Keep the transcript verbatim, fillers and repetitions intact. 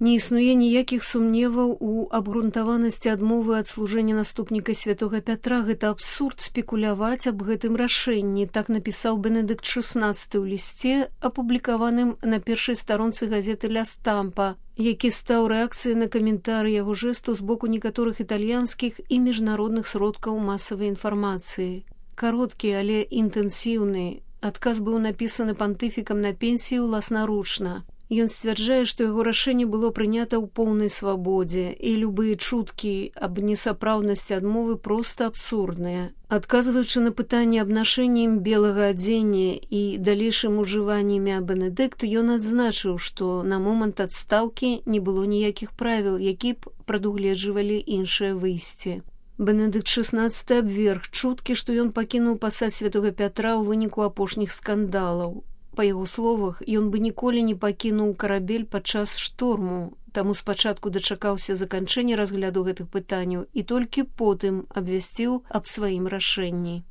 Не існуе ніякіх сумневаў у абгрунтаванасці адмовы ад служэння наступніка святога Пятра. Гэта абсурд спекуляваць аб гэтым рашэнні, так напісаў Бенедыкт шэснаццаты ў лісце, апублікаваным на першай старонцы газеты «Ля Стампа», які стаў рэакцыяй на каментары яго жэсту з боку некаторых італьянскіх і міжнародных сродкаў масавай інфармацыі. Кароткі, але інтэнсіўны адказ быў напісаны пантыфікам на пенсію ўласнаручна. Ён сцвярджае, што яго рашэнне было прынята ў поўнай свабодзе, і любыя чуткі аб несапраўднасці адмовы проста абсурдныя. Адказваючы на пытанне аб нашэнні ім белага адзення і далейшым ужыванні імя Бенедыкт, ён адзначыў, што на момант адстаўкі не было ніякіх правіл, які б прадугледжвалі іншае выйсце. Бенедыкт шэснаццаты абверг чуткі, што ён пакінуў пасад святога Пятра ў выніку апошніх скандалаў. Па яго словах, ён бы ніколі не пакінуў карабель падчас шторму, таму спачатку дачакаўся заканчэння разгляду гэтых пытанняў і толькі потым абвясціў аб сваім рашэнні.